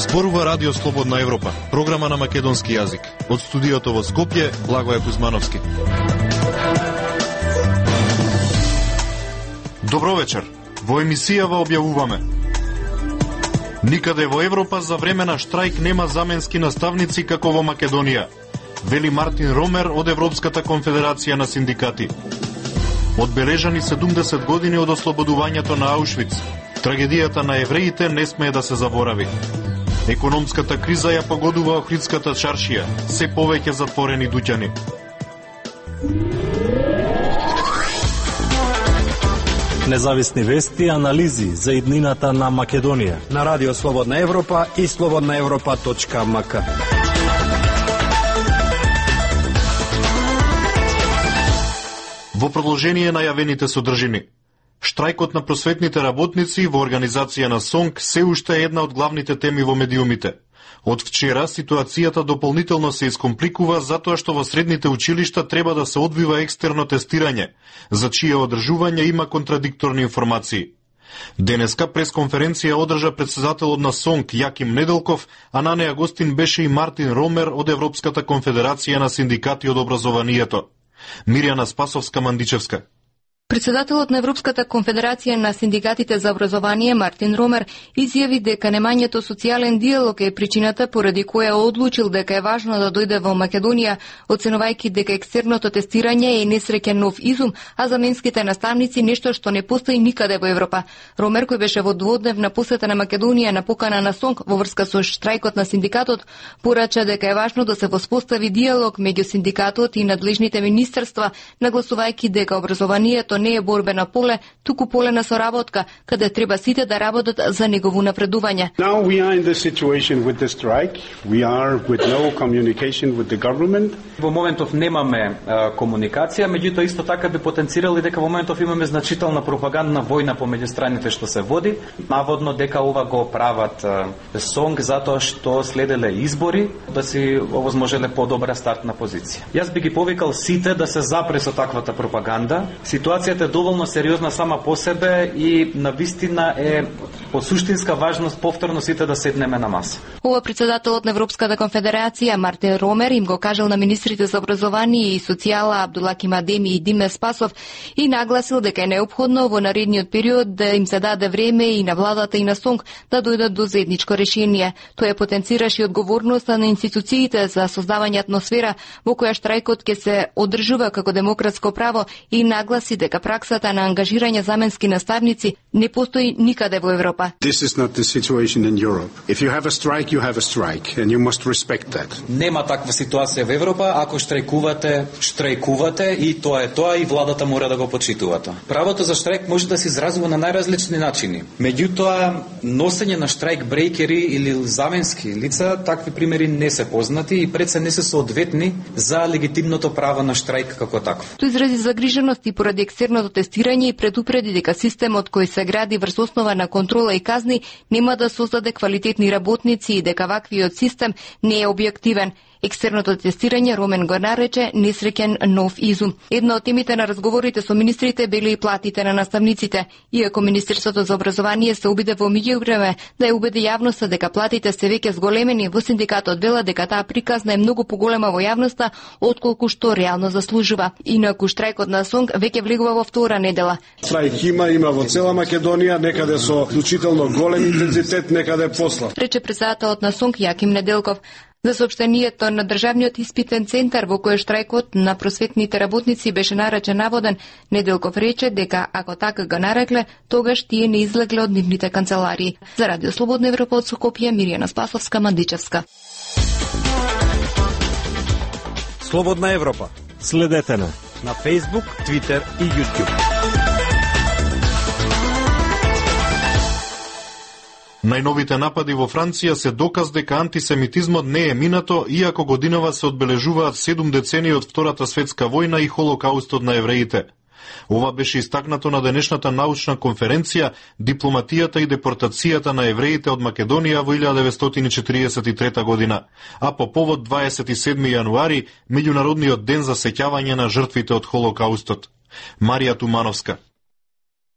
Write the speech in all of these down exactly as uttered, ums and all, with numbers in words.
Зборува Радио Слободна Европа, програма на македонски јазик. Од студиото во Скопје, Благоје Кузмановски. Добро вечер. Во емисијава објавуваме: никаде во Европа за време на штрајк нема заменски наставници како во Македонија, вели Мартин Ромер од Европската конфедерација на синдикати. Одбележани седумдесет години од ослободувањето на Аушвиц. Трагедијата на евреите не смее да се заборави. Економската криза ја погодува Охридската чаршија, се повеќе затворени дуќани. Независни вести и анализи за иднината на Македонија на Радио Слободна Европа и слободна европа точка ем ка. Во продолжение на јавените содржини. Штрајкот на просветните работници во организација на СОНК се уште е една од главните теми во медиумите. Од вчера ситуацијата дополнително се искомпликува затоа што во средните училишта треба да се одвива екстерно тестирање, за чие одржување има контрадикторни информации. Денеска пресконференција одржа претседателот на СОНК Јаким Неделков, а на неа гостин беше и Мартин Ромер од Европската конфедерација на синдикати од образованието. Мирјана Спасовска-Мандичевска. Председателот на Европската конфедерација на синдикатите за образование Мартин Ромер изјави дека немањето социјален диалог е причината поради која одлучил дека е важно да дојде во Македонија, оценувајќи дека екстерното тестирање е несреќен нов изум, а заменските наставници нешто што не постои никаде во Европа. Ромер, кој беше во дводневна посета на Македонија на покана на СОНК во врска со штрајкот на синдикатот, порача дека е важно да се воспостави диалог меѓу синдикатот и надлежните министерства, нагласувајќи дека образованието не е борбено поле, туку поле на соработка, каде треба сите да работат за негово напредување. Now we are in the situation with the strike. We are with no communication with the government. Во моментов немаме а, комуникација, меѓутоа исто така би потенцирали дека во моментов имаме значителна пропагандна војна помеѓу страните што се води, наводно дека ова го прават а, СОНК затоа што следеле избори да си овозможеле подобра стартна позиција. Јас би ги повикал сите да се запре со таквата пропаганда. Ситуацијата е доволно сериозна сама по себе и на вистина е од суштинска важност повторно сите да седнеме на маса. Ова председателот на Европската конфедерација Мартин Ромер им го кажал на министрите за образование и социјала Абдулаким Адеми и Диме Спасов и нагласил дека е неопходно во наредниот период да им се даде време и на владата и на СОНК да дојдат до заедничко решение. Тој потенцираше одговорноста на институциите за создавање атмосфера во која штрајкот ќе се одржува како демократско право и нагласи дека праксата на ангажирање заменски наставници не постои никаде во Европа. This is not the situation in Europe. If you have a strike, you have a strike and you must respect that. Нема таква ситуација во Европа, ако штрајкувате, штрајкувате и тоа е тоа и владата мора да го почитува тоа. Правото за штрајк може да се изразува на најразлични начини. Меѓутоа, носење на штрајк брейкери или заменски лица, такви примери не се познати и пред се не се соодветни за легитимното право на штрајк како такво. Тој изрази загриженост и поради екстерното тестирање и предупреди дека системот кој се гради врз основа на контрола и казни нема да создаде квалитетни работници и дека ваквиот систем не е објективен. Екстерното тестирање Ромен го нарече несреќен нов изум. Една од темите на разговорите со министрите биле и платите на наставниците. Иако Министерството за образование се обиде во меѓувреме да ја убеди јавноста дека платите се веќе зголемени, во синдикатот вела дека таа приказна е многу поголема во јавноста отколку што реално заслужува. Инаку штрајкот на СОНК веќе влегува во втора недела. Штрајк има, има во цела Македонија, некаде со вклучително голем интензитет, некаде послаб. Рече председателот на СОНК Јаким Неделков. За соопштението на Државниот испитен центар во кој штрајкот на просветните работници беше наречен наводен, Неделков рече дека ако така го нарекле, тогаш тие не излегле од нивните канцеларии. За Радио Слободна Европа од Скопје, Мирјана Спасовска-Мандичевска. Слободна Европа. Следете на на Facebook, Twitter и YouTube. Најновите напади во Франција се доказ дека антисемитизмот не е минато, иако годинава се одбележуваат седум децении од Втората светска војна и Холокаустот на евреите. Ова беше истакнато на денешната научна конференција Дипломатијата и депортацијата на евреите од Македонија во илјада деветстотини четириесет и трета година, а по повод дваесет и седми јануари, меѓународниот ден за сеќавање на жртвите од Холокаустот. Марија Тумановска.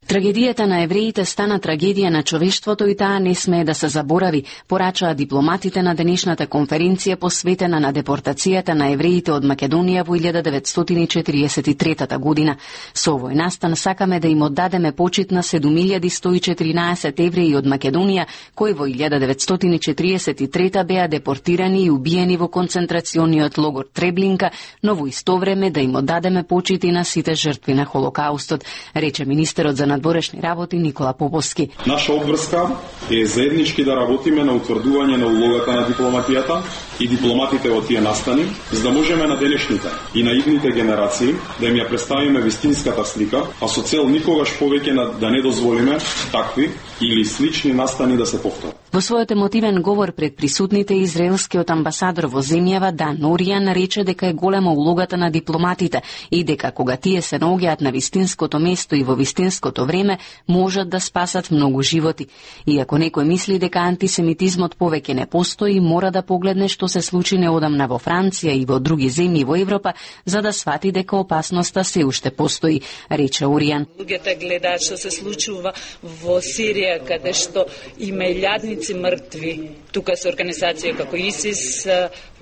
Трагедијата на евреите стана трагедија на човештвото и таа не смее да се заборави, порачаа дипломатите на денешната конференција посветена на депортацијата на евреите од Македонија во илјада деветстотини и четириесет и трета година. Со овој настан сакаме да им оддадеме почит на седум илјади сто и четиринаесет евреи од Македонија, кои во илјада деветстотини и четириесет и трета беа депортирани и убиени во концентрациониот логор Треблинка, но во исто време да им оддадеме почит и на сите жртви на Холокаустот, рече министерот за надворешни работи Никола Поповски. Наша обврска е заеднички да работиме на утврдување на улогата на дипломатијата и дипломатите во тие настани, за да можеме на денешните и на идните генерации да им ја представиме вистинската слика, а со цел никогаш повеќе да не дозволиме такви или слични настани да се повторат. Во својот емотивен говор пред присутните, израелскиот амбасадор во земјава Дан Оријан рече дека е голема улогата на дипломатите и дека кога тие се наоѓаат на вистинското место и во вистинското време, можат да спасат многу животи. Иако некој мисли дека антисемитизмот повеќе не постои, мора да погледне што се случи неодамна во Франција и во други земји во Европа, за да свати дека опасноста се уште постои, рече Оријан. Луѓето гледаат што се случува во Сирија, каде што има илјадници мртви. Тука се организација како ИСИС,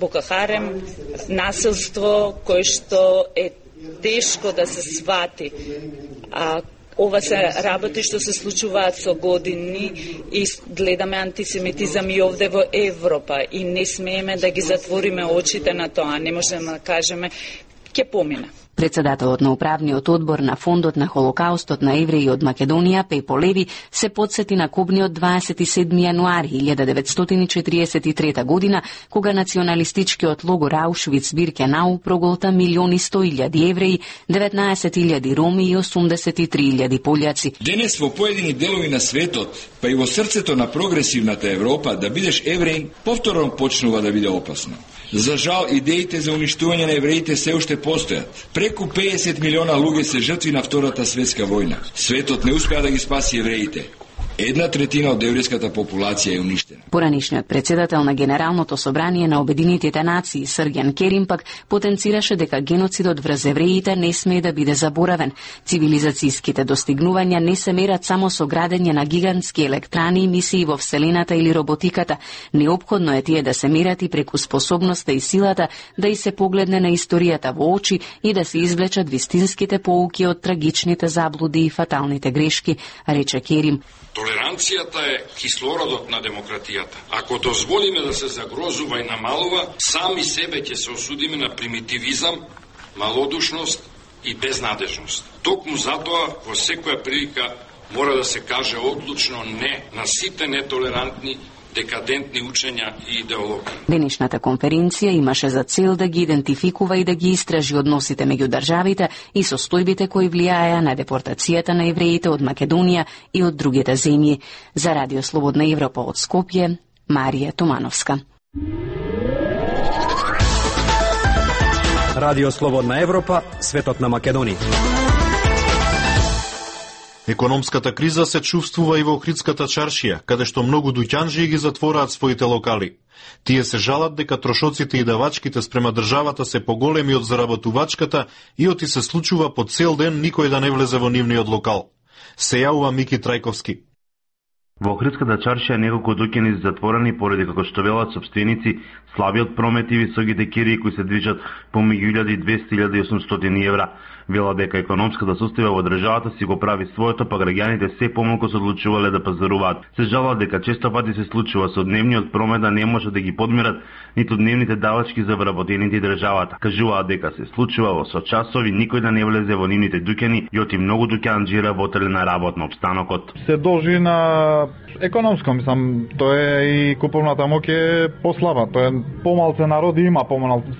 Боко Харем, насилство кое што е тешко да се свати. А ова се работи што се случуваат со години и гледаме антисемитизам и овде во Европа и не смееме да ги затвориме очите на тоа. Не можеме да кажеме ќе помине. Председателот на управниот одбор на Фондот на Холокаустот на евреи од Македонија, Пепо Леви, се подсети на кобниот дваесет и седми јануари илјада деветстотини и четириесет и трета година, кога националистичкиот логор Аушвиц-Биркенау проголта милиони сто илјади евреи, деветнаесет илјади роми и осумдесет и три илјади полјаци. Денес во поедини делови на светот, па и во срцето на прогресивната Европа, да бидеш евреин повторно почнува да биде опасно. За жал, идеите за уништување на евреите се уште постојат. Преку педесет милиона луѓе се жртви на Втората светска војна. Светот не успеа да ги спаси евреите. Една третина од еврејската популација е уништена. Поранишниот председател на Генералното собрание на Обединетите нации, Срѓан Керим, пак потенцираше дека геноцидот врз евреите не смее да биде заборавен. Цивилизацијските достигнувања не се мерат само со градење на гигантски електрани и мисии во Вселената или роботиката. Неопходно е тие да се мерат и преку способноста и силата да и се погледне на историјата во очи и да се извлечат вистинските поуки од трагичните заблуди и фаталните грешки, рече Керим. Толеранцијата е кислородот на демократијата. Ако дозволиме да се загрозува и намалува, сами себе ќе се осудиме на примитивизам, малодушност и безнадежност. Токму затоа во секоја прилика мора да се каже одлучно не на сите нетолерантни, декадентни учења и идеологии. Денешната конференција имаше за цел да ги идентификува и да ги истражи односите меѓу државите и состојбите кои влијаеа на депортацијата на евреите од Македонија и од другите земји. За Радио Слободна Европа од Скопје, Марија Томановска. Радио Слободна Европа, светот на Македонија. Економската криза се чувствува и во Охридската чаршија, каде што многу дуќанџии ги затвораат своите локали. Тие се жалат дека трошоците и давачките спрема државата се поголеми од заработувачката и оти се случува по цел ден никој да не влезе во нивниот локал. Се јавува Мики Трајковски. Во Охридската чаршија неколку дуќани се затворени поради, како што велат сопственици, слабиот промет и високите кирии кои се движат помеѓу илјада и двесте и илјада и осумстотини евра. Вела дека економската состојба во државата си го прави своето, па граѓаните се помалку се одлучувале да пазаруваат. Се жалат дека често пати се случува со дневниот промет да не може да ги подмират ниту дневните давачки за вработените државата. Кажуваат дека се случува во сочасови никој да не влезе во нивните дуќани и оти многу дуќанџи работеле на работно обстанокот. Се должи на економско, мислам, тоа е и куповната моќ е послаба, тоа е помалце народи има, помалце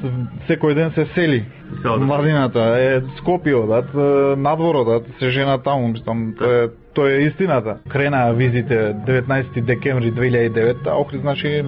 секој ден се сели. Младината е Скопје, дат надворот, дат се жена таму, мислам, тоа е тоа е истината. Крена визите деветнаесети декември две илјади и девета, а Охрид значи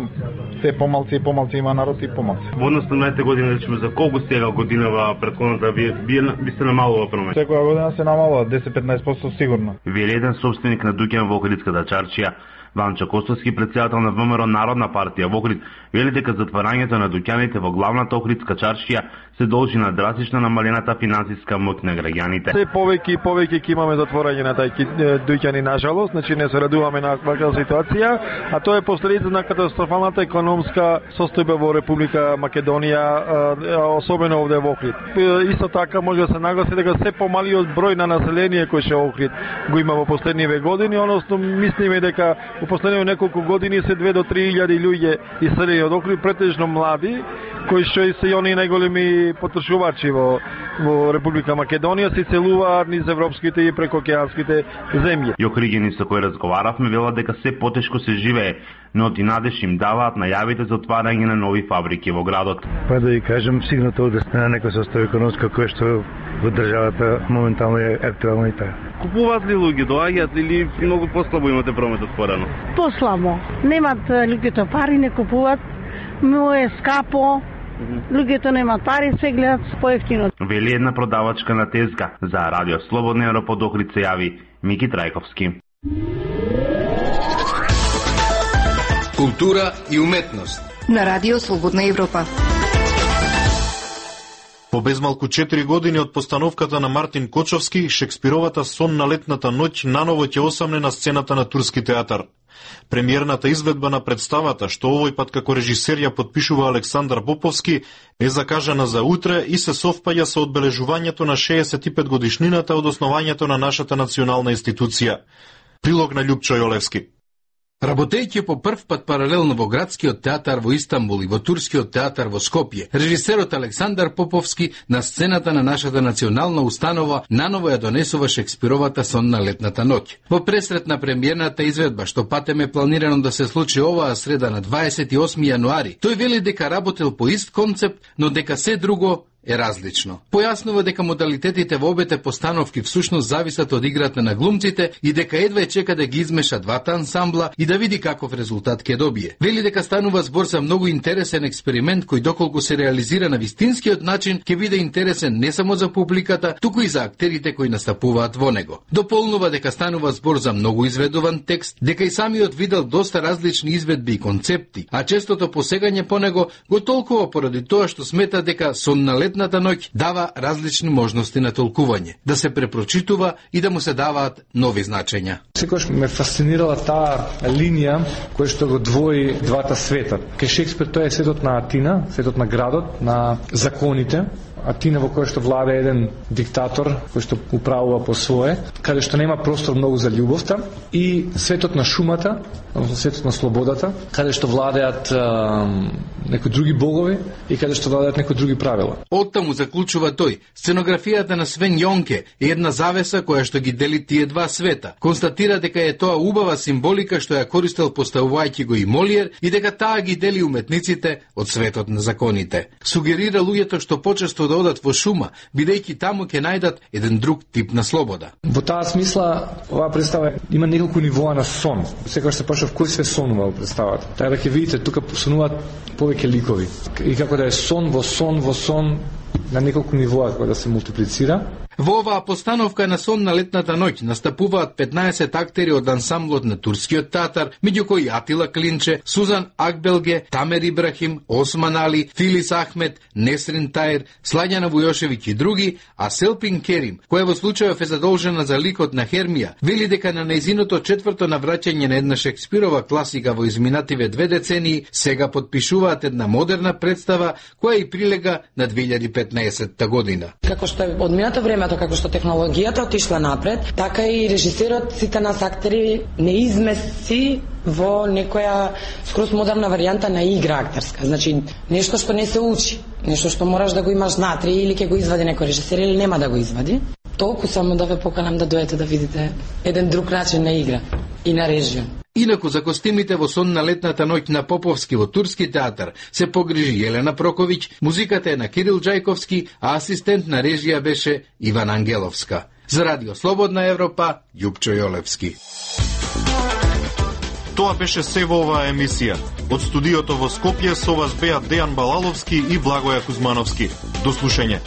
се помалци и помалци има народ и помалци. Во однос на најте година, речеме, за колку сега годинава предходната ви би, би се намалува промет? Секоја година се намалува десет до петнаесет проценти сигурно. Вели еден собственик на дуќан во Охридската чаршија, Ванчо Костовски, председател на ВМРО Народна партија во Охрид, вели дека затварањето на дуќаните во главната охридска чаршија се должи на драстично намалената финансиска моќ на граѓаните. Се повеќе и повеќе ќе имаме затворање на тајки дуќани, нажалост, значи не се радуваме на ваква ситуација, а тоа е последица на катастрофалната економска состојба во Република Македонија, особено овде во Охрид. Исто така може да се нагласи дека се помалиот број на население кој ше Охрид го има во последниве години, односно мислиме дека во последниве неколку години се две до три илјади луѓе иселени од Охрид, претежно млади, кои што се и они најголеми потрошувачи во, во Република Македонија, се целуваат низ европските и прекоокеанските земји. И охриѓени со кои разговаравме велат дека се потешко се живее, но ти надеж им даваат најавите за отварање на нови фабрики во градот. Па да ви кажем, сигнато да стане некој состојба економска која што во државата моментално е актуелна и таа. Купуваат ли луѓе, доаѓаат или многу послабо имате промет отворено? Послабо. Немат луѓето пари, не купуваат, но е скапо. Луѓето немаат пари, се гледат поевтино. Вели една продавачка на тезга. За Радио Слободна Европа од Охрид се јави Мики Трајковски. Култура и уметност на Радио Слободна Европа. По безмалку четири години од постановката на Мартин Кочовски, Шекспировата сон на летната ноќ наново ќе осамне на сцената на Турски театар. Премиерната изведба на представата, што овој пат како режисер ја подпишува Александар Поповски, е закажана за утре и се совпаѓа со одбележувањето на шеесет и пет годишнината од основањето на нашата национална институција. Прилог на Љупчо Јолевски. Работејќи по прв пат паралелно во Градскиот театар во Истанбул и во Турскиот театар во Скопје, режисерот Александар Поповски на сцената на нашата национална установа наново ја донесува Шекспировата сон на летната ноќ. Во пресрет на премиерната изведба, што патем е планирано да се случи оваа среда на дваесет и осми јануари, тој вели дека работел по ист концепт, но дека се друго е различно. Појаснува дека модалитетите во обете постановки всушност зависат од играта на глумците и дека едва е чека да ги измеша двата ансамбла и да види каков резултат ќе добие. Вели дека станува збор за многу интересен експеримент кој доколку се реализира на вистинскиот начин ќе биде интересен не само за публиката, туку и за актерите кои настапуваат во него. Дополнува дека станува збор за многу изведуван текст, дека и самиот видел доста различни изведби и концепти, а честото посегање по него го толкува поради тоа што смета дека сон на летната ноќ дава различни можности на толкување, да се препрочитува и да му се даваат нови значења. Секогаш ме фасцинирала таа линија која што го двои двата света. Кај Шекспир тоа е светот на Атина, светот на градот, на законите, Атина во која што влада еден диктатор кој што управува по свое, каде што нема простор многу за љубовта, и светот на шумата, односно светот на слободата, каде што владеат некои други богови и каде што владеат некои други правила. Оттаму заклучува тој, сценографијата на Свен Јонке е една завеса која што ги дели тие два света. Констатира дека е тоа убава символика што ја користел поставувајќи го и Молиер и дека таа ги дели уметниците од светот на законите. Сугерира луѓето што почесто да одат во шума, бидејќи таму ќе најдат еден друг тип на слобода. Во таа смисла, оваа представа има неколку нивоа на сон. Секогаш се почнува кој се сонува во представата. Така да ќе видите, тука сонуваат повеќе ликови. И како да е сон во сон во сон на неколку нивоа како да се мултиплицира. Во оваа постановка на сон на летната ноќ настапуваат петнаесет актери од ансамблот на Турскиот театар, меѓу кои Атила Клинче, Сузан Акбелге, Тамер Ибрахим, Осман Али, Филис Ахмет, Несрин Таир, Слаѓана Вујошевиќ и други, а Селпин Керим, која во случајов е задолжена за ликот на Хермија, вели дека на нејзиното четврто навраќање на една Шекспирова класика во изминативе две децении, сега подпишуваат една модерна представа која и прилега на две илјади и петнаесетта година. Како што е одминато време, како што технологијата отишла напред, така и режисерот, сите нас актери не измести во некоја скроз модерна варијанта на игра актерска. Значи, нешто што не се учи, нешто што мораш да го имаш внатре или ќе го извади некој режисер или нема да го извади. Толку само да ве поканам да дојдете да видите еден друг начин на игра и на режија. Инаку за костимите во сон на летната ноќ на Поповски во Турски театар се погрижи Јелена Проковиќ, музиката е на Кирил Џајковски, а асистент на режија беше Иван Ангеловска. За Радио Слободна Европа, Љупчо Јолевски. Тоа беше се во оваа емисија. Од студиото во Скопје со вас беа Дејан Балаловски и Благоја Кузмановски. До слушање.